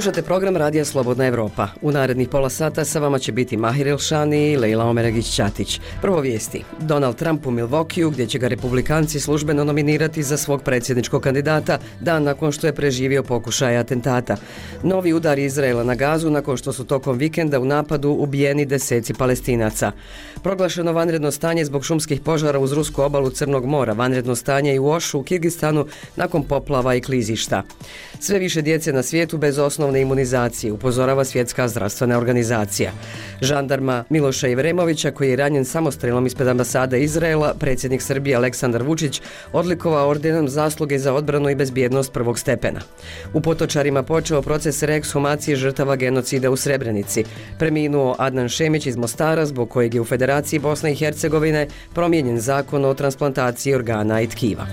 Slušate program Radija Slobodna Evropa. U narednih pola sata sa vama će biti Mahir Elšani i Lejla Omeragić-Ćatić. Prvo vijesti. Donald Trump u Milwaukeeu, gdje će ga republikanci službeno nominirati za svog predsjedničkog kandidata dan nakon što je preživio pokušaj atentata. Novi udar Izraela na Gazu nakon što su tokom vikenda u napadu ubijeni deseci Palestinaca. Proglašeno vanredno stanje zbog šumskih požara uz rusku obalu Crnog mora, vanredno stanje i u Ošu u Kirgistanu nakon poplava i klizišta. Sve više djece na svijetu bez osnovne imunizacije, upozorava Svjetska zdravstvena organizacija. Žandarma Miloša Ivremovića, koji je ranjen samostrelom ispred ambasade Izraela, predsjednik Srbije Aleksandar Vučić odlikovao ordenom zasluge za odbranu i bezbjednost prvog stepena. U Potočarima počeo proces reekshumacije žrtava genocida u Srebrenici. Preminuo Adnan Šemić iz Mostara, zbog kojeg je u Federaciji Bosne i Hercegovine promijenjen zakon o transplantaciji organa i tkiva.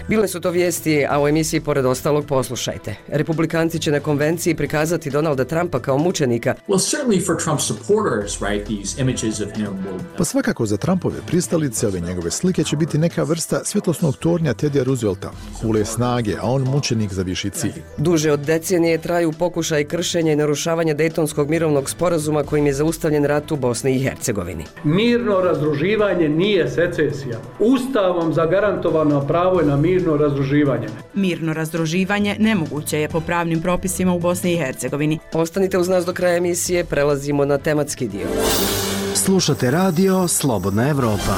Bile su to vijesti, a u emisiji pored ostalog poslušajte. Republikanci će na konvenciji prikazati Donalda Trumpa kao mučenika. Pa svakako za Trumpove pristalice ove njegove slike će biti neka vrsta svjetlosnog tornja Tedija Roosevelta, kule snage, a on mučenik za viši cilj. Duže od decenije traju pokušaj kršenja i narušavanja Dejtonskog mirovnog sporazuma kojim je zaustavljen rat u Bosni i Hercegovini. Mirno razdruživanje nije secesija. Ustavom zagarantovano pravo je na mirno razdruživanje. Mirno razdruživanje nemoguće je po pravnim propisima u Bosni i Hercegovini. Ostanite uz nas do kraja emisije, prelazimo na tematski dio. Slušate radio Slobodna Evropa.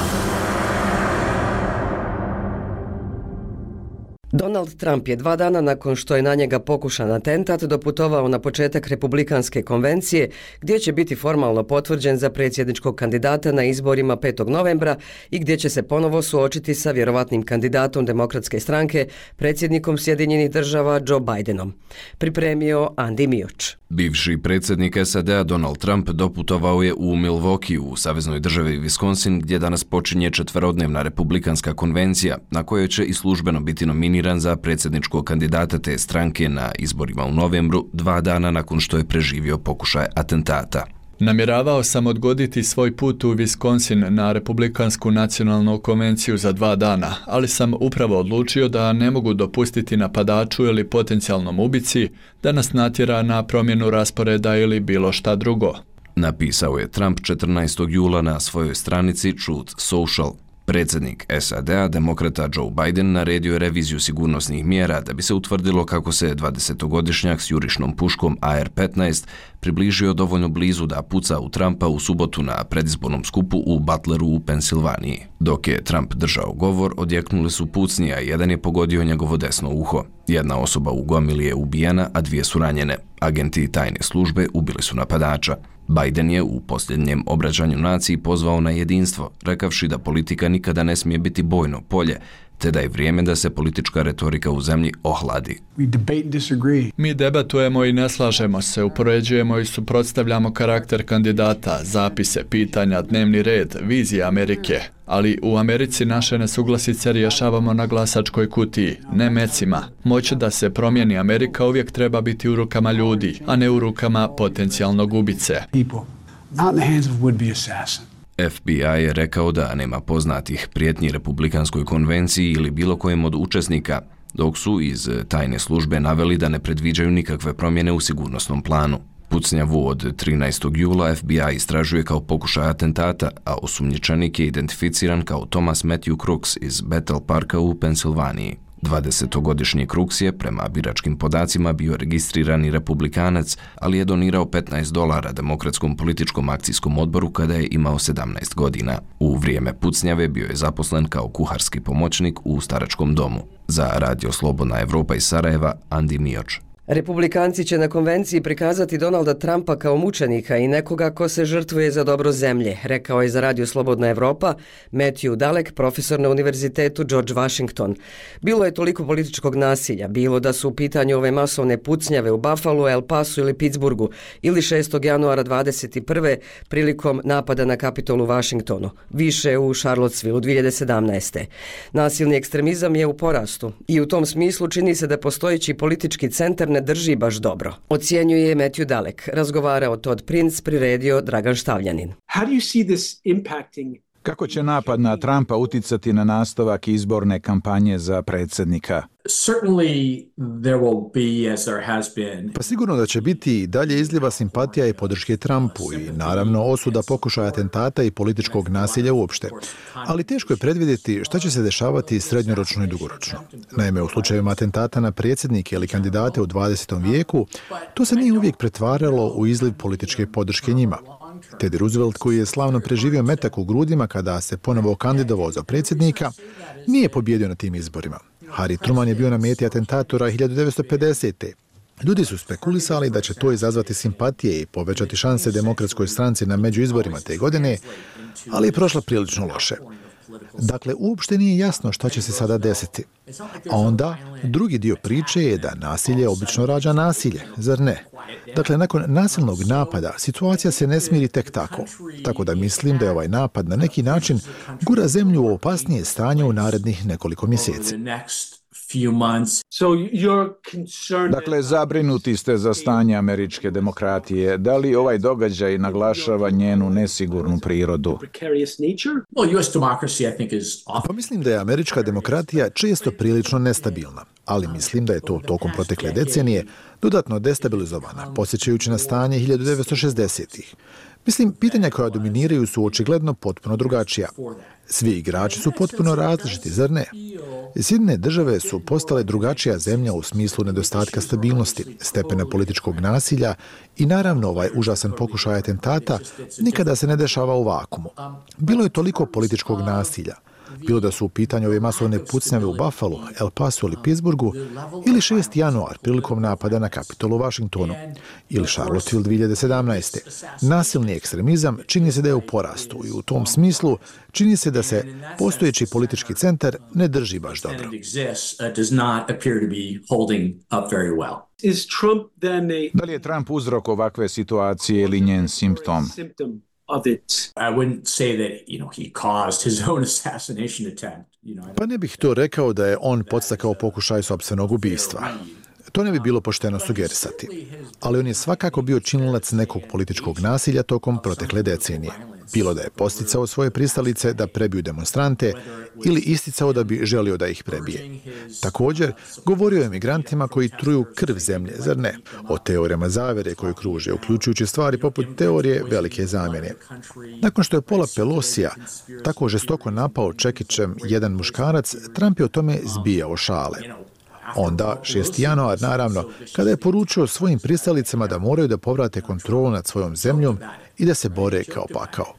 Donald Trump je 2 dana nakon što je na njega pokušan atentat doputovao na početak republikanske konvencije, gdje će biti formalno potvrđen za predsjedničkog kandidata na izborima 5. novembra i gdje će se ponovo suočiti sa vjerovatnim kandidatom Demokratske stranke, predsjednikom Sjedinjenih država Joe Bidenom. Pripremio Andi Mioč. Bivši predsjednik SAD-a Donald Trump doputovao je u Milwaukee u saveznoj državi Wisconsin, gdje danas počinje 4-dnevna republikanska konvencija, na kojoj će i službeno biti nominiran za predsjedničkog kandidata te stranke na izborima u novembru, 2 dana nakon što je preživio pokušaj atentata. Namjeravao sam odgoditi svoj put u Wisconsin na Republikansku nacionalnu konvenciju za 2 dana, ali sam upravo odlučio da ne mogu dopustiti napadaču ili potencijalnom ubici da nas natjera na promjenu rasporeda ili bilo šta drugo. Napisao je Trump 14. jula na svojoj stranici Truth Social. Predsjednik SAD-a, demokrata Joe Biden, naredio je reviziju sigurnosnih mjera da bi se utvrdilo kako se 20-godišnjak s jurišnom puškom AR-15 približio dovoljno blizu da puca u Trumpa u subotu na predizbornom skupu u Butleru u Pensilvaniji. Dok je Trump držao govor, odjeknuli su pucnji, a jedan je pogodio njegovo desno uho. Jedna osoba u gomili je ubijena, a 2 su ranjene. Agenti tajne službe ubili su napadača. Biden je u posljednjem obraćanju naciji pozvao na jedinstvo, rekavši da politika nikada ne smije biti bojno polje, te da je vrijeme da se politička retorika u zemlji ohladi. Mi debatujemo i ne slažemo se, upoređujemo i suprotstavljamo karakter kandidata, zapise, pitanja, dnevni red, vizije Amerike. Ali u Americi naše nesuglasice rješavamo na glasačkoj kutiji, ne mecima. Moć da se promijeni Amerika uvijek treba biti u rukama ljudi, a ne u rukama potencijalnog ubice. FBI je rekao da nema poznatih prijetnji Republikanskoj konvenciji ili bilo kojem od učesnika, dok su iz tajne službe naveli da ne predviđaju nikakve promjene u sigurnosnom planu. Pucnjavu od 13. jula FBI istražuje kao pokušaj atentata, a osumnjičenik je identificiran kao Thomas Matthew Crooks iz Bethel Parka u Pensilvaniji. 20-godišnji Crooks je, prema biračkim podacima, bio registrirani republikanac, ali je donirao $15 Demokratskom političkom akcijskom odboru kada je imao 17 godina. U vrijeme pucnjave bio je zaposlen kao kuharski pomoćnik u staračkom domu. Za Radio Slobodna Evropa iz Sarajeva, Andi Mioč. Republikanci će na konvenciji prikazati Donalda Trumpa kao mučenika i nekoga ko se žrtvuje za dobro zemlje, rekao je za Radio Slobodna Evropa Matthew Dalek, profesor na Univerzitetu George Washington. Bilo je toliko političkog nasilja, bilo da su u pitanju ove masovne pucnjave u Buffalu, El Pasu ili Pittsburghu, ili 6. januara 21. prilikom napada na Kapitol u Washingtonu, više u Charlottesville 2017. Nasilni ekstremizam je u porastu i u tom smislu čini se da postojeći politički centar ne drži baš dobro, ocjenjuje Matthew Dalek. Razgovarao Todd Prince, priredio Dragan Štavljanin. Kako će napad na Trumpa uticati na nastavak izborne kampanje za predsjednika? Pa sigurno da će biti i dalje izljeva simpatija i podrške Trumpu i naravno osuda pokušaja atentata i političkog nasilja uopšte. Ali teško je predvidjeti šta će se dešavati srednjoročno i dugoročno. Naime, u slučajevima atentata na predsjednike ili kandidate u 20. vijeku, to se nije uvijek pretvaralo u izliv političke podrške njima. Teddy Roosevelt, koji je slavno preživio metak u grudima kada se ponovo kandidovao za predsjednika, nije pobjedio na tim izborima. Harry Truman je bio na meti atentatora 1950. Ljudi su spekulisali da će to izazvati simpatije i povećati šanse demokratskoj stranci na međuizborima te godine, ali je prošla prilično loše. Dakle, uopšte nije jasno šta će se sada desiti. A onda, drugi dio priče je da nasilje obično rađa nasilje, zar ne? Dakle, nakon nasilnog napada, situacija se ne smiri tek tako. Tako da mislim da je ovaj napad na neki način gura zemlju u opasnije stanje u narednih nekoliko mjeseci. Dakle, zabrinuti ste za stanje američke demokratije. Da li ovaj događaj naglašava njenu nesigurnu prirodu? Pa mislim da je američka demokratija često prilično nestabilna, ali mislim da je to tokom protekle decenije dodatno destabilizovana, podsjećajući na stanje 1960-ih. Mislim, pitanja koja dominiraju su očigledno potpuno drugačija. Svi igrači su potpuno različiti, zar ne? Sjedinjene države su postale drugačija zemlja u smislu nedostatka stabilnosti, stepena političkog nasilja i naravno ovaj užasan pokušaj atentata nikada se ne dešava u vakumu. Bilo je toliko političkog nasilja. Bilo da su u pitanju ove masovne pucnjave u Buffalu, El Pasu ili Pittsburghu, ili 6. januar prilikom napada na Kapitol u Washingtonu, ili Charlottesville 2017. Nasilni ekstremizam čini se da je u porastu i u tom smislu čini se da se postojeći politički centar ne drži baš dobro. Da li je Trump uzrok ovakve situacije ili njen simptom? Pa ne bih to rekao da je on podstakao pokušaj sopstvenog ubistva. To ne bi bilo pošteno sugerisati. Ali on je svakako bio činilac nekog političkog nasilja tokom protekle decenije. Bilo da je posticao svoje pristalice da prebiju demonstrante ili isticao da bi želio da ih prebije. Također, govorio je o migrantima koji truju krv zemlje, zar ne? O teorijama zavere koje kruže, uključujući stvari poput teorije velike zamjene. Nakon što je Paula Pelosija tako žestoko napao čekićem jedan muškarac, Trump je o tome zbijao šale. Onda, 6. januar, naravno, kada je poručio svojim pristalicama da moraju da povrate kontrolu nad svojom zemljom i da se bore kao pakao.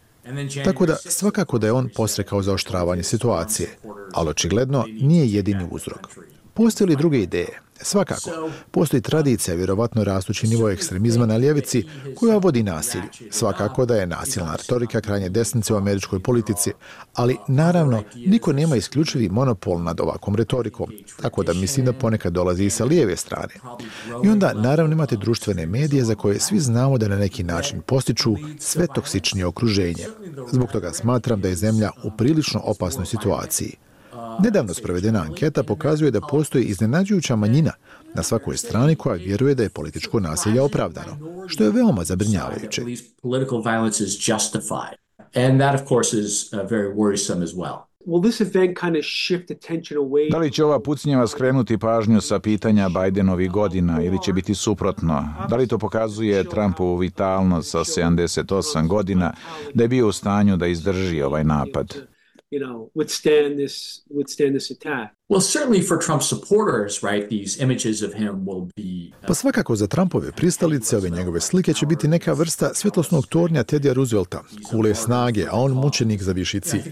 Tako da, svakako da je on posrekao zaoštravanje situacije, ali očigledno nije jedini uzrok. Postoje li druge ideje? Svakako, postoji tradicija, vjerovatno rastući nivo ekstremizma na ljevici, koja vodi nasilju. Svakako da je nasilna retorika krajnje desnice u američkoj politici, ali naravno niko nema isključivi monopol nad ovakvom retorikom, tako da mislim da ponekad dolazi i sa lijeve strane. I onda naravno imate društvene medije za koje svi znamo da na neki način postiču sve toksičnije okruženje. Zbog toga smatram da je zemlja u prilično opasnoj situaciji. Nedavno sprovedena anketa pokazuje da postoji iznenađujuća manjina na svakoj strani koja vjeruje da je političko nasilje opravdano, što je veoma zabrinjavajuće. Da li će ova pucnjava skrenuti pažnju sa pitanja Bidenovih godina ili će biti suprotno? Da li to pokazuje Trumpovu vitalnost sa 78 godina da je bio u stanju da izdrži ovaj napad? Withstand this attack. Well, certainly for Trump supporters, right, these images of him will be... Pa svakako za Trumpove pristalice ove njegove slike će biti neka vrsta svjetlosnog tornja Teddya Roosevelta, kule snage, a on mučenik za viši cilj.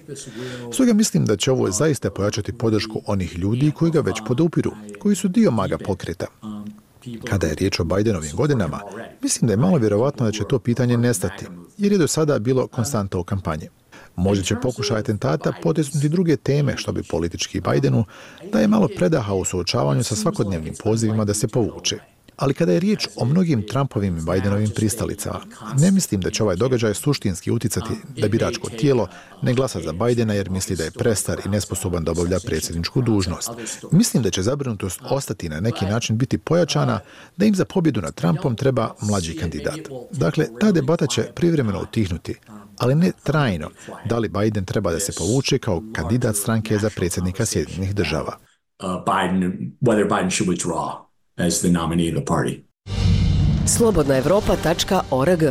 Stoga mislim da će ovo zaista pojačati podršku onih ljudi koji ga već podupiru, koji su dio MAGA pokreta. Kada je riječ o Bidenovim godinama, mislim da je malo vjerovatno da će to pitanje nestati, jer je do sada bilo konstanta u kampanji. Možda će pokušaj atentata potisnuti druge teme, što bi politički Bidenu daje malo predaha u suočavanju sa svakodnevnim pozivima da se povuče. Ali kada je riječ o mnogim Trumpovim i Bidenovim pristalicama, ne mislim da će ovaj događaj suštinski uticati da biračko tijelo ne glasa za Bidena jer misli da je prestar i nesposoban da obavlja predsjedničku dužnost. Mislim da će zabrinutost ostati na neki način biti pojačana da im za pobjedu nad Trumpom treba mlađi kandidat. Dakle, ta debata će privremeno utihnuti, ali ne trajno, da li Biden treba da se povuče kao kandidat stranke za predsjednika Sjedinjenih Država. Whether Biden should withdraw as the nominee of the party. Slobodnaevropa.org.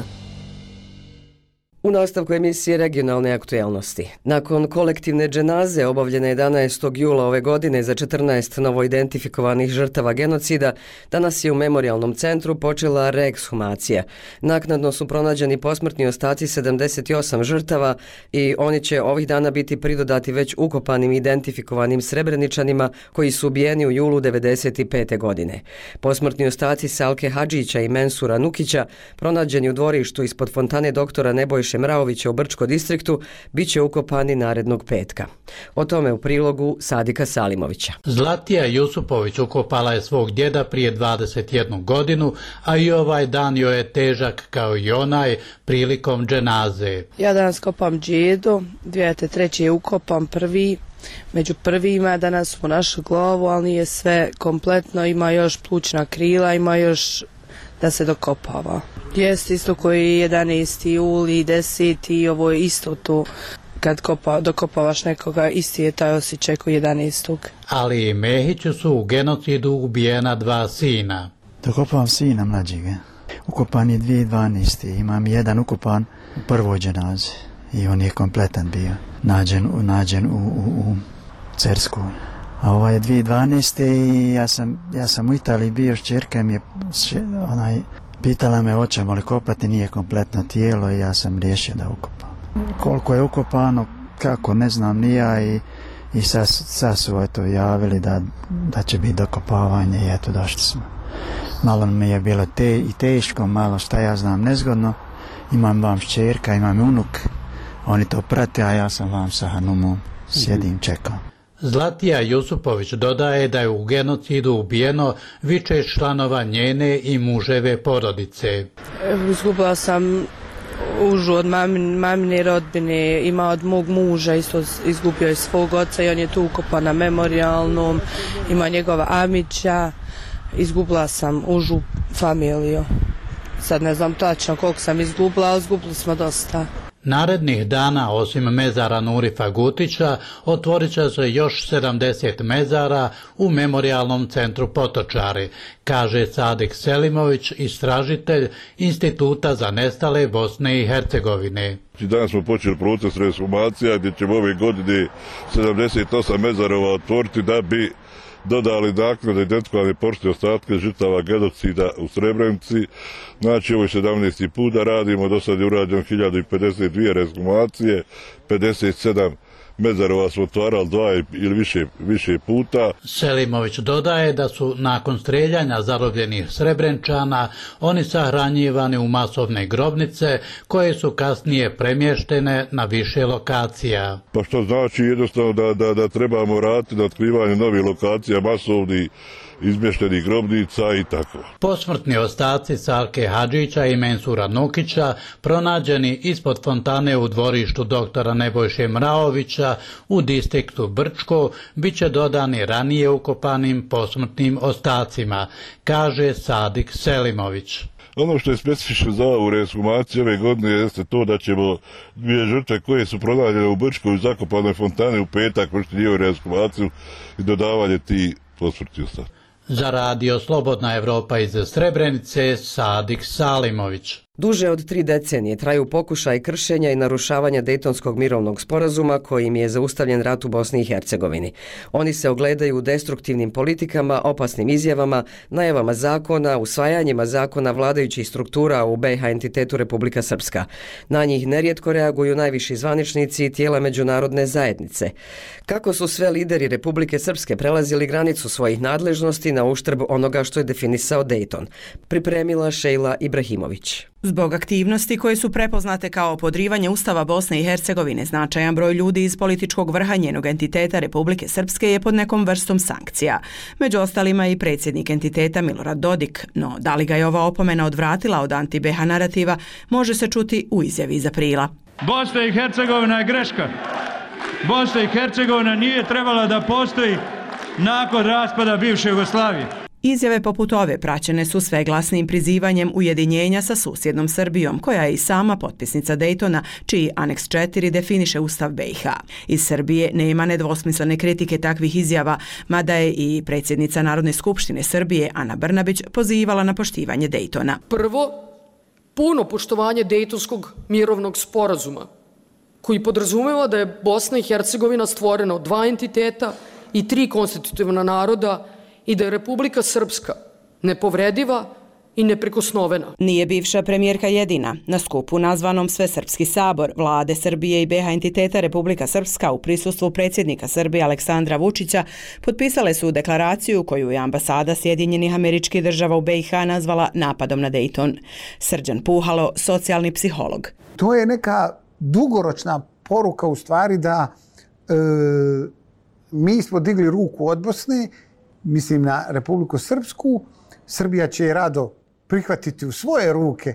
U nastavku emisije Regionalne aktuelnosti. Nakon kolektivne dženaze obavljene 11. jula ove godine za 14 novoidentifikovanih žrtava genocida, danas je u memorijalnom centru počela reekshumacija. Naknadno su pronađeni posmrtni ostaci 78 žrtava i oni će ovih dana biti pridodati već ukopanim identifikovanim Srebreničanima koji su ubijeni u julu 1995. godine. Posmrtni ostaci Salke Hadžića i Mensura Nukića, pronađeni u dvorištu ispod fontane doktora Nebojše Mraovića u Brčko distriktu, bit će ukopani narednog petka. O tome u prilogu Sadika Salimovića. Zlatija Jusupović ukopala je svog djeda prije 21 godinu, a i ovaj dan joj je težak kao i onaj prilikom dženaze. Ja danas kopam djedu, 2003. je ukopam prvi, među prvima, danas smo našli glavu, ali nije sve kompletno, ima još plućna krila, ima još da se dokopava. Jest isto koji 11. juli, 10. i ovo je isto to. Kad dokopavaš nekoga, isti je taj osjećaj koji 11. Ali i Mehiću su u genocidu ubijena 2 sina. Dokopavam sina mlađega. Ukopan je 2012. Imam jedan ukopan u prvoj dženazi i on je kompletan bio. Nađen u Cerskoj. A ovo je 2012. i ja sam u Italiji bio, šćerka mi je pitala me hoćemo li kopati, nije kompletno tijelo i ja sam riješio da ukopam. Koliko je ukopano, kako, ne znam ni ja i sad su to javili da će biti dokopavanje i eto došli smo. Malo mi je bilo i teško, malo šta ja znam nezgodno. Imam vam šćerka, imam unuk, oni to prate, a ja sam vam sa Hanumom, sjedim, čekam. Zlatija Jusupović dodaje da je u genocidu ubijeno više članova njene i muževe porodice. Izgubila sam užu od mamine rodbine, ima od mog muža, isto izgubio je svog oca i on je tu ukopan na memorijalnom, ima njegova amića, izgubila sam užu familiju. Sad ne znam tačno koliko sam izgubila, ali izgubili smo dosta. Narednih dana, osim mezara Nurifa Gutića, otvorit će se još 70 mezara u memorijalnom centru Potočari, kaže Sadik Selimović, istražitelj Instituta za nestale Bosne i Hercegovine. Danas smo počeli proces rekshumacija gdje ćemo ove godine 78 mezarova otvoriti da bi dodali naknadno identifikovane posmrtne ostatke žrtava genocida u Srebrenici. Znači, ovo je 17. put da radimo, do sad je urađeno 1052 rekshumacije, 57 mezarova smo otvarali 2 ili više puta. Selimović dodaje da su nakon streljanja zarobljenih Srebrenčana oni sahranjivani u masovne grobnice koje su kasnije premještene na više lokacija. Pa što znači jednostavno da trebamo raditi na otkrivanju novih lokacija, masovnih izmještenih grobnica i tako. Posmrtni ostaci Salke Hadžića i Mensura Nukića, pronađeni ispod fontane u dvorištu doktora Nebojše Mraovića u distriktu Brčko, bit će dodani ranije ukopanim posmrtnim ostacima, kaže Sadik Selimović. Ono što je specifično za ovu rekshumaciju ove godine jeste to da ćemo 2 žrtve koje su pronađene u Brčkoj u zakopanoj fontane u petak vršiti njihovu rekshumaciju i dodavanje ti posmrtni ostaci. Za radio Slobodna Evropa iz Srebrenice, Sadik Salimović. Duže od 3 decenije traju pokušaj kršenja i narušavanja Dejtonskog mirovnog sporazuma kojim je zaustavljen rat u Bosni i Hercegovini. Oni se ogledaju u destruktivnim politikama, opasnim izjavama, najavama zakona, usvajanjima zakona vladajućih struktura u BiH entitetu Republika Srpska. Na njih nerijetko reaguju najviši zvaničnici i tijela međunarodne zajednice. Kako su sve lideri Republike Srpske prelazili granicu svojih nadležnosti na uštrb onoga što je definisao Dejton? Pripremila Šejla Ibrahimović. Zbog aktivnosti koje su prepoznate kao podrivanje Ustava Bosne i Hercegovine, značajan broj ljudi iz političkog vrha njenog entiteta Republike Srpske je pod nekom vrstom sankcija. Među ostalima i predsjednik entiteta Milorad Dodik, no da li ga je ova opomena odvratila od anti-BiH narativa, može se čuti u izjavi iz aprila. Bosna i Hercegovina je greška. Bosna i Hercegovina nije trebala da postoji nakon raspada bivše Jugoslavije. Izjave poput ove praćene su sve glasnim prizivanjem ujedinjenja sa susjednom Srbijom, koja je i sama potpisnica Dejtona, čiji aneks 4 definiše Ustav BiH. Iz Srbije nema nedvosmislene kritike takvih izjava, mada je i predsjednica Narodne skupštine Srbije, Ana Brnabić, pozivala na poštivanje Dejtona. Prvo, puno poštovanje Dejtonskog mirovnog sporazuma, koji podrazumeva da je Bosna i Hercegovina stvorena od 2 entiteta i 3 konstitutivna naroda i da je Republika Srpska nepovrediva i neprikosnovena. Nije bivša premijerka jedina. Na skupu nazvanom Svesrpski sabor Vlade Srbije i BiH entiteta Republika Srpska u prisustvu predsjednika Srbije Aleksandra Vučića potpisale su deklaraciju koju je ambasada Sjedinjenih Američkih Država u BiH nazvala napadom na Dejton. Srđan Puhalo, socijalni psiholog. To je neka dugoročna poruka u stvari da mi smo digli ruku od Bosne, mislim na Republiku Srpsku, Srbija će rado prihvatiti u svoje ruke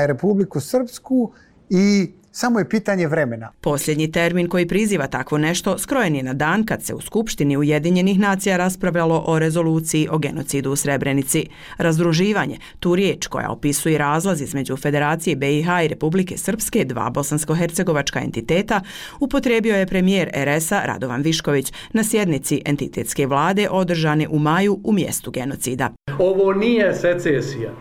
Republiku Srpsku i samo je pitanje vremena. Posljednji termin koji priziva takvo nešto skrojen je na dan kad se u Skupštini Ujedinjenih nacija raspravljalo o rezoluciji o genocidu u Srebrenici. Razdruživanje, tu riječ koja opisuje razlaz između Federacije BiH i Republike Srpske, 2 bosansko-hercegovačka entiteta, upotrijebio je premijer RS-a Radovan Višković na sjednici entitetske vlade održane u maju u mjestu genocida. Ovo nije secesija.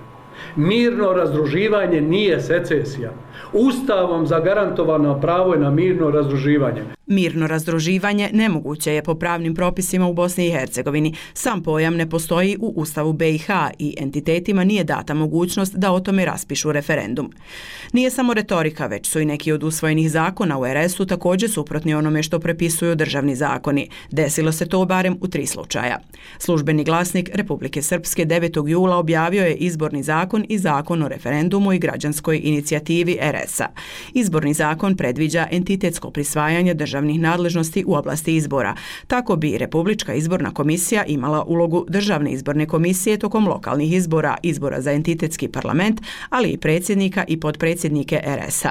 Mirno razdruživanje nije secesija. Ustavom zagarantovano pravo je na mirno razdruživanje. Mirno razdruživanje nemoguće je po pravnim propisima u Bosni i Hercegovini. Sam pojam ne postoji u Ustavu BiH i entitetima nije data mogućnost da o tome raspišu referendum. Nije samo retorika, već su i neki od usvojenih zakona u RS-u također suprotni onome što prepisuju državni zakoni. Desilo se to barem u 3 slučaja. Službeni glasnik Republike Srpske 9. jula objavio je izborni zakon i zakon o referendumu i građanskoj inicijativi RS-a. Izborni zakon predviđa entitetsko prisvajanje državnih nadležnosti u oblasti izbora. Tako bi Republička izborna komisija imala ulogu državne izborne komisije tokom lokalnih izbora, izbora za entitetski parlament, ali i predsjednika i potpredsjednike RS-a.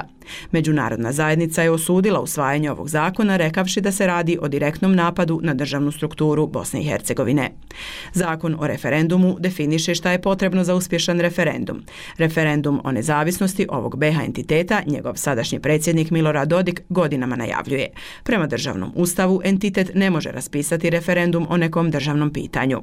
Međunarodna zajednica je osudila usvajanje ovog zakona, rekavši da se radi o direktnom napadu na državnu strukturu Bosne i Hercegovine. Zakon o referendumu definiše šta je potrebno za uspješan referendum. Referendum o nezavisnosti ovog BiH entiteta njegov sadašnji predsjednik Milorad Dodik godinama najavljuje. Prema državnom ustavu entitet ne može raspisati referendum o nekom državnom pitanju.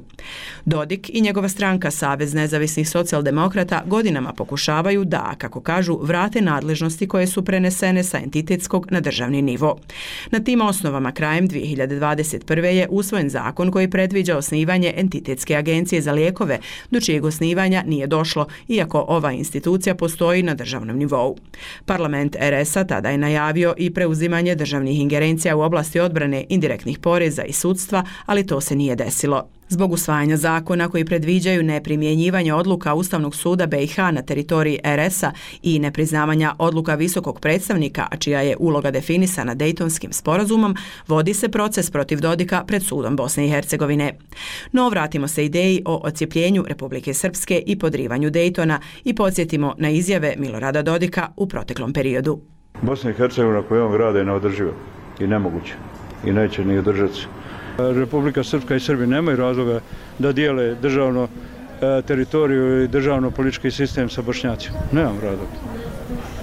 Dodik i njegova stranka Savez nezavisnih socijaldemokrata godinama pokušavaju da, kako kažu, vrate nadležnosti koje su prenesene sa entitetskog na državni nivo. Na tim osnovama krajem 2021. je usvojen zakon koji predviđa osnivanje entitetske agencije za lijekove, do čijeg osnivanja nije došlo, iako ova institucija postoji na državnom nivou. Parlament RS-a tada je najavio i preuzimanje državnih ingerencija u oblasti odbrane, indirektnih poreza i sudstva, ali to se nije desilo. Zbog usvajanja zakona koji predviđaju neprimjenjivanje odluka Ustavnog suda BiH na teritoriji RS-a i nepriznavanja odluka visokog predstavnika, a čija je uloga definisana Dejtonskim sporazumom, vodi se proces protiv Dodika pred sudom Bosne i Hercegovine. No vratimo se ideji o odcijepljenju Republike Srpske i podrivanju Dejtona i podsjetimo na izjave Milorada Dodika u proteklom periodu. Bosna i Hercegovina koju on grade je neodrživa i nemoguće i neće ni održati se. Republika Srpska i Srbija nemaju razloga da dijele državno teritoriju i državno politički sistem sa Bošnjacima. Nemam razloga.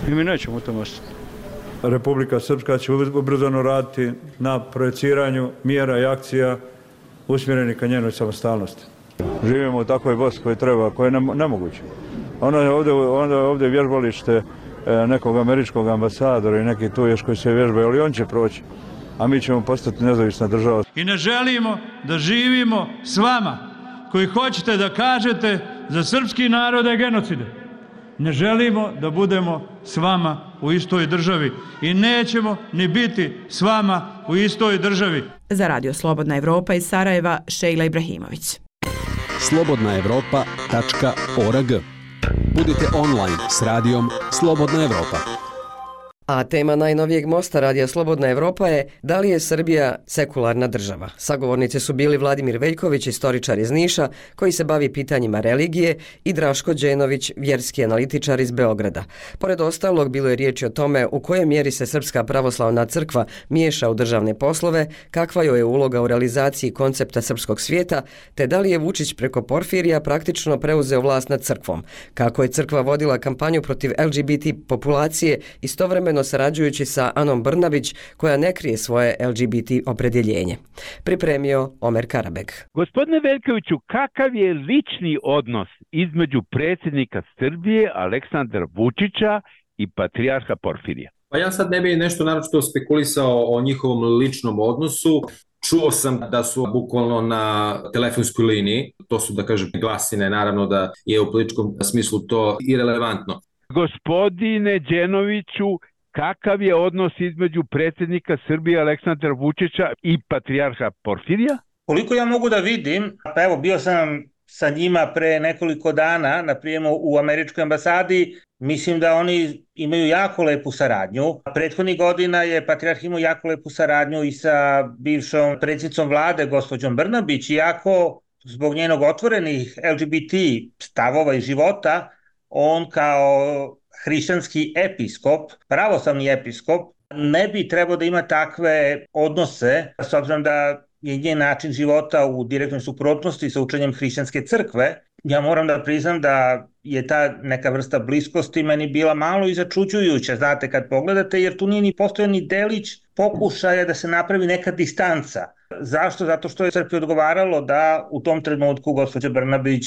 I mi nećemo u tom ostati. Republika Srpska će ubrzano raditi na projeciranju mjera i akcija usmjerenih ka njenoj samostalnosti. Živimo u takvoj Bosni koji treba, koja je nemoguće. Onda je ovdje vježbalište nekog američkog ambasadora i neki tu još koji se vježbaju, ali on će proći. A mi ćemo postati nezavisna država. I ne želimo da živimo s vama koji hoćete da kažete za srpski narod je genocide. Ne želimo da budemo s vama u istoj državi i nećemo ni biti s vama u istoj državi. Za Radio Slobodna Evropa iz Sarajeva, Šejla Ibrahimović. slobodnaevropa.org Budite online s radijom Slobodna Evropa. A tema najnovijeg mosta Radija Slobodna Evropa je da li je Srbija sekularna država. Sagovornici su bili Vladimir Veljković, istoričar iz Niša, koji se bavi pitanjima religije, i Draško Đenović, vjerski analitičar iz Beograda. Pored ostalog, bilo je riječi o tome u kojoj mjeri se Srpska pravoslavna crkva miješa u državne poslove, kakva joj je uloga u realizaciji koncepta srpskog svijeta, te da li je Vučić preko Porfirija praktično preuzeo vlast nad crkvom, kako je crkva vodila kampanju protiv LGBT populacije, istovremeno sarađujući sa Anom Brnabić, koja ne krije svoje LGBT opredjeljenje. Pripremio Omer Karabek. Gospodine Veljkoviću, kakav je lični odnos između predsjednika Srbije Aleksandra Vučića i patrijarha Porfirija? Pa ja sad ne bih nešto naročito spekulisao o njihovom ličnom odnosu. Čuo sam da su bukvalno na telefonskoj liniji, to su, da kažem, glasine, naravno da je u političkom smislu to irelevantno. Gospodine Đenoviću, kakav je odnos između predsjednika Srbije Aleksandra Vučića i patrijarha Porfirija? Koliko ja mogu da vidim, pa evo bio sam sa njima pre nekoliko dana na prijemu u američkoj ambasadi, mislim da oni imaju jako lepu saradnju. Prethodnih godina je patrijarh imao jako lepu saradnju i sa bivšom predsjednicom vlade, gospođom Brnabić, iako zbog njenog otvorenih LGBT stavova i života, on kao hrišćanski episkop, pravoslavni episkop, ne bi trebao da ima takve odnose, s obzirom da je njen način života u direktnoj suprotnosti sa učenjem hrišćanske crkve. Ja moram da priznam da je ta neka vrsta bliskosti meni bila malo i začuđujuća, znate, kad pogledate, jer tu nije ni postojao ni delić pokušaja da se napravi neka distanca. Zašto? Zato što je crkvi odgovaralo da u tom trenutku gospođa Brnabić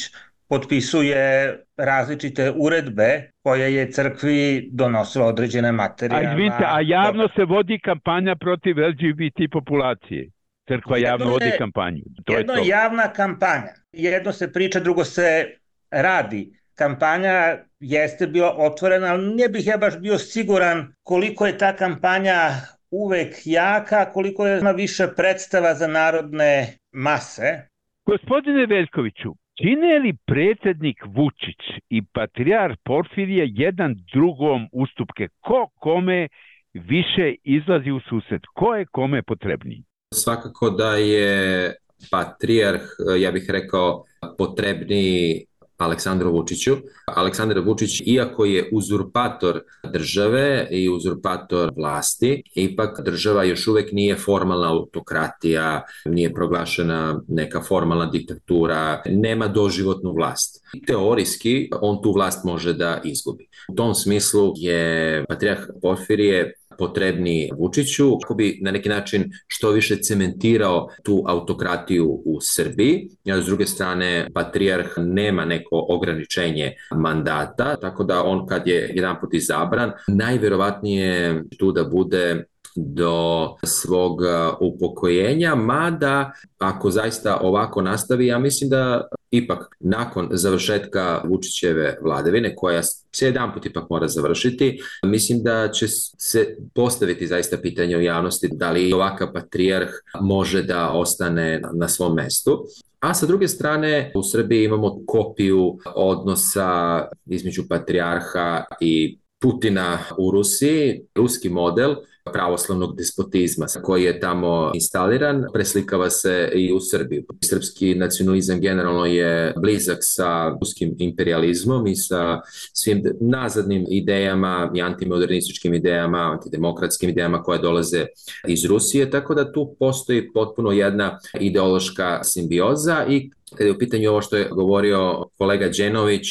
potpisuje različite uredbe koje je crkvi donosila određene materijalne. A javno se vodi kampanja protiv LGBT populacije. Crkva javno vodi kampanju. Jedno je javna kampanja. Jedno se priča, drugo se radi. Kampanja jeste bila otvorena, ali ne bih ja baš bio siguran koliko je ta kampanja uvek jaka, koliko je ima više predstava za narodne mase. Gospodine Veljkoviću, čine li predsjednik Vučić i patrijarh Porfirije jedan drugom ustupke? Ko kome više izlazi u susret? Ko je kome potrebniji? Svakako da je patrijarh, ja bih rekao, potrebniji Aleksandru Vučiću. Aleksandar Vučić, iako je uzurpator države i uzurpator vlasti, ipak država još uvijek nije formalna autokratija, nije proglašena neka formalna diktatura, nema doživotnu vlast. Teorijski on tu vlast može da izgubi. U tom smislu je patrijarh Porfirije potrebni Vučiću kako bi na neki način što više cementirao tu autokratiju u Srbiji. S druge strane, patrijarh nema neko ograničenje mandata, tako da on kad je jedanput izabran, najvjerovatnije tu da bude do svog upokojenja, mada ako zaista ovako nastavi, ja mislim da ipak nakon završetka Vučićeve vladavine, koja se jedanput ipak mora završiti, mislim da će se postaviti zaista pitanje u javnosti da li ovakav patrijarh može da ostane na svom mestu. A sa druge strane, u Srbiji imamo kopiju odnosa između patrijarha i Putina u Rusiji, ruski model pravoslavnog despotizma koji je tamo instaliran, preslikava se i u Srbiju. Srpski nacionalizam generalno je blizak sa ruskim imperializmom i sa svim nazadnim idejama i antimodernističkim idejama, antidemokratskim idejama koje dolaze iz Rusije, tako da tu postoji potpuno jedna ideološka simbioza. I kada je u pitanju ovo što je govorio kolega Đenović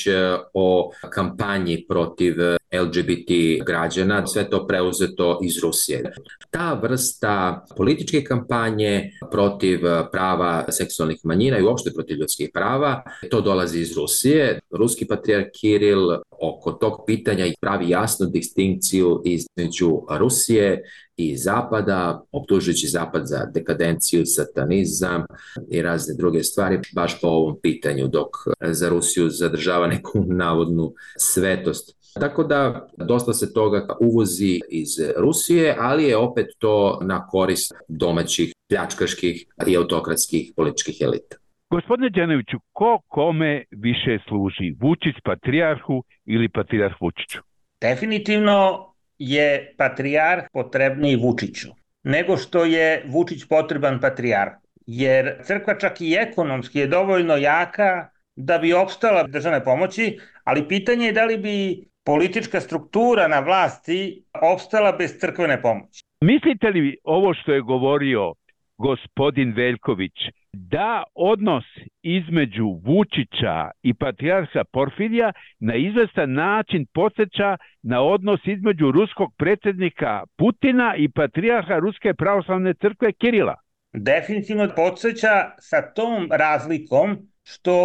o kampanji protiv LGBT građana, sve to preuzeto iz Rusije. Ta vrsta političke kampanje protiv prava seksualnih manjina i uopšte protiv ljudskih prava, to dolazi iz Rusije. Ruski patrijarh Kiril oko tog pitanja pravi jasnu distinkciju između Rusije i Zapada, optužujući Zapad za dekadenciju, satanizam i razne druge stvari, baš po ovom pitanju, dok za Rusiju zadržava neku navodnu svetost. Tako da dosta se toga uvozi iz Rusije, ali je opet to na korist domaćih pljačkaških i autokratskih političkih elita. Gospodine Đanoviću, ko kome više služi? Vučić patrijarhu ili patrijarh Vučiću? Definitivno je patrijarh potrebniji Vučiću nego što je Vučić potreban patrijarhu. Jer crkva čak i ekonomski je dovoljno jaka da bi opstala državne pomoći, ali pitanje je da li bi politička struktura na vlasti opstala bez crkvene pomoći. Mislite li ovo što je govorio gospodin Veljković, da odnos između Vučića i patrijarha Porfirija na izvestan način podsjeća na odnos između ruskog predsjednika Putina i patrijarha Ruske pravoslavne crkve Kirila? Definitivno podsjeća sa tom razlikom što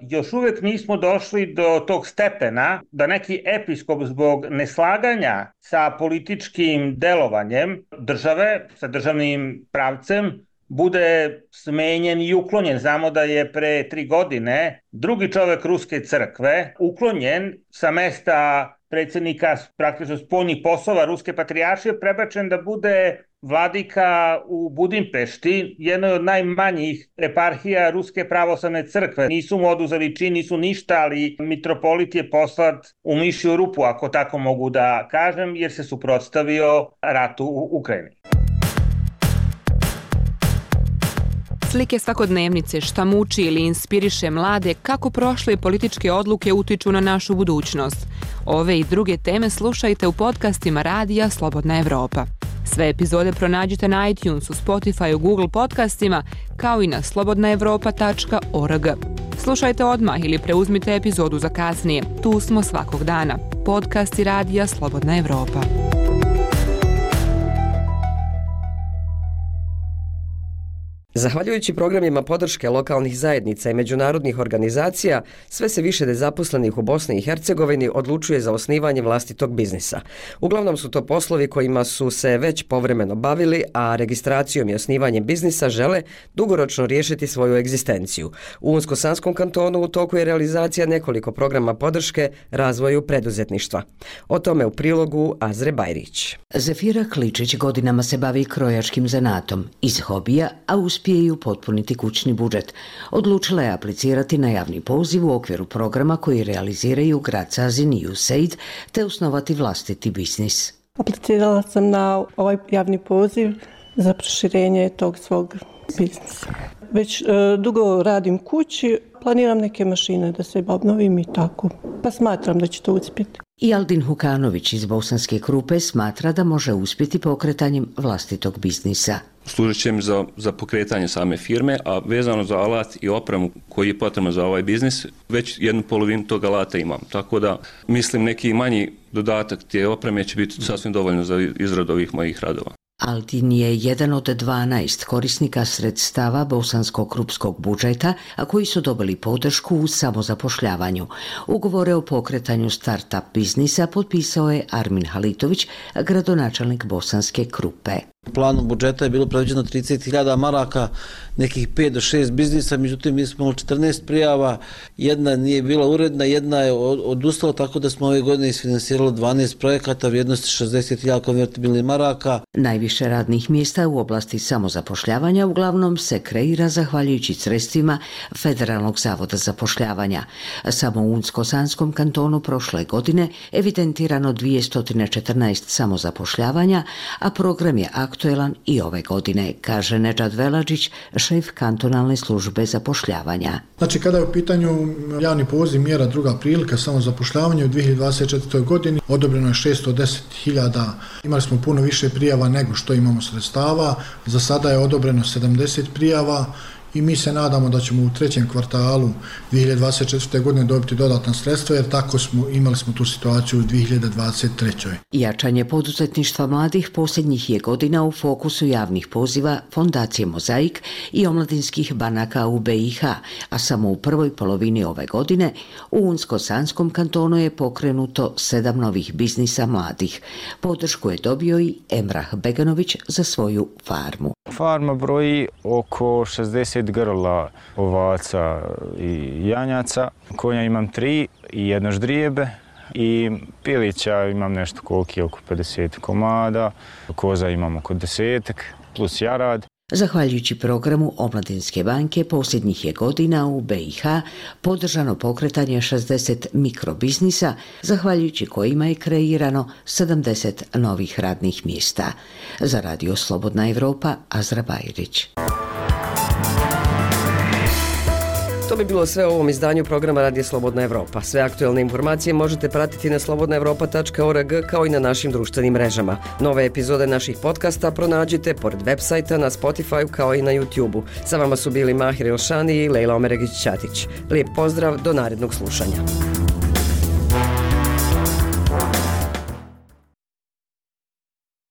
još uvijek nismo došli do tog stepena da neki episkop zbog neslaganja sa političkim delovanjem države, sa državnim pravcem, bude smenjen i uklonjen. Znamo da je pre 3 godine drugi čovjek Ruske crkve uklonjen sa mesta predsjednika praktično spoljnih poslova Ruske patrijaršije, prebačen da bude vladika u Budimpešti, jednoj od najmanjih eparhija Ruske pravoslavne crkve. Nisu mu oduzeli čin, nisu ništa, ali mitropolit je poslat u mišju rupu, ako tako mogu da kažem, jer se suprotstavio ratu u Ukrajini. Slike svakodnevnice, šta muči ili inspiriše mlade, kako prošle političke odluke utiču na našu budućnost. Ove i druge teme slušajte u podcastima Radija Slobodna Evropa. Sve epizode pronađite na iTunesu, Spotifyu, Google podcastima, kao i na slobodnaevropa.org. Slušajte odmah ili preuzmite epizodu za kasnije. Tu smo svakog dana. Podcasti Radija Slobodna Evropa. Zahvaljujući programima podrške lokalnih zajednica i međunarodnih organizacija, sve se više nezaposlenih u Bosni i Hercegovini odlučuje za osnivanje vlastitog biznisa. Uglavnom su to poslovi kojima su se već povremeno bavili, a registracijom i osnivanjem biznisa žele dugoročno riješiti svoju egzistenciju. U Unsko-Sanskom kantonu u toku je realizacija nekoliko programa podrške razvoju preduzetništva. O tome u prilogu Azre Bajrić. Zefira Kličić godinama se bavi krojačkim zanatom iz hobija, a uspije i upotpuniti kućni budžet. Odlučila je aplicirati na javni poziv u okviru programa koji realiziraju grad Sazin i USAID te osnovati vlastiti biznis. Aplicirala sam na ovaj javni poziv za proširenje tog svog biznisa. Već dugo radim kući, planiram neke mašine da se obnovim i tako, pa smatram da će to uspjeti. I Aldin Hukanović iz Bosanske Krupe smatra da može uspjeti pokretanjem vlastitog biznisa. Služit će mi za pokretanje same firme, a vezano za alat i opremu koji je potrebno za ovaj biznis, već 1/2 tog alata imam. Tako da mislim neki manji dodatak te opreme će biti sasvim dovoljno za izradu ovih mojih radova. Aldin je jedan od 12 korisnika sredstava bosansko-krupskog budžeta, a koji su dobili podršku u samozapošljavanju. Ugovore o pokretanju start-up biznisa potpisao je Armin Halitović, gradonačelnik Bosanske Krupe. U planu budžeta je bilo predviđeno 30.000 maraka, nekih 5 do 6 biznisa, međutim mi smo imali 14 prijava, jedna nije bila uredna, jedna je odustala, tako da smo ove godine isfinansirali 12 projekata vrijednosti 60.000 konvertibilnih maraka. Najviše radnih mjesta u oblasti samozapošljavanja uglavnom se kreira zahvaljujući sredstvima Federalnog zavoda zapošljavanja. Samo u Unsko-Sanskom kantonu prošle godine evidentirano 214 samozapošljavanja, a program je aktuelan i ove godine, kaže Nedžad Veladžić, šef kantonalne službe zapošljavanja. Znači, kada je u pitanju javni poziv mjera druga prilika samozapošljavanja u 2024. godini, odobreno je 610.000. Imali smo puno više prijava nego što imamo sredstava. Za sada je odobreno 70 prijava i mi se nadamo da ćemo u 3. kvartalu 2024. godine dobiti dodatna sredstva, jer tako imali smo tu situaciju u 2023. Jačanje poduzetništva mladih posljednjih je godina u fokusu javnih poziva Fondacije Mozaik i omladinskih banaka u BiH, a samo u prvoj polovini ove godine u Unsko-Sanskom kantonu je pokrenuto 7 novih biznisa mladih. Podršku je dobio i Emrah Beganović za svoju farmu. Farma broji oko 60 grla ovaca i janjaca. Konja imam 3 i 1 ždrijebe i pilića imam nešto koliki, oko 50 komada. Koza imam oko 10 plus jarad. Zahvaljujući programu Omladinske banke, posljednjih je godina u BiH podržano pokretanje 60 mikrobiznisa, zahvaljujući kojima je kreirano 70 novih radnih mjesta. Za Radio Slobodna Evropa, Azra Bajrić. To bi bilo sve u ovom izdanju programa Radio Slobodna Evropa. Sve aktualne informacije možete pratiti na slobodnaevropa.org kao i na našim društvenim mrežama. Nove epizode naših podcasta pronađite pored web sajta na Spotify kao i na YouTube-u. Sa vama su bili Mahir Elšani i Lejla Omeregić-Ćatić. Lijep pozdrav, do narednog slušanja.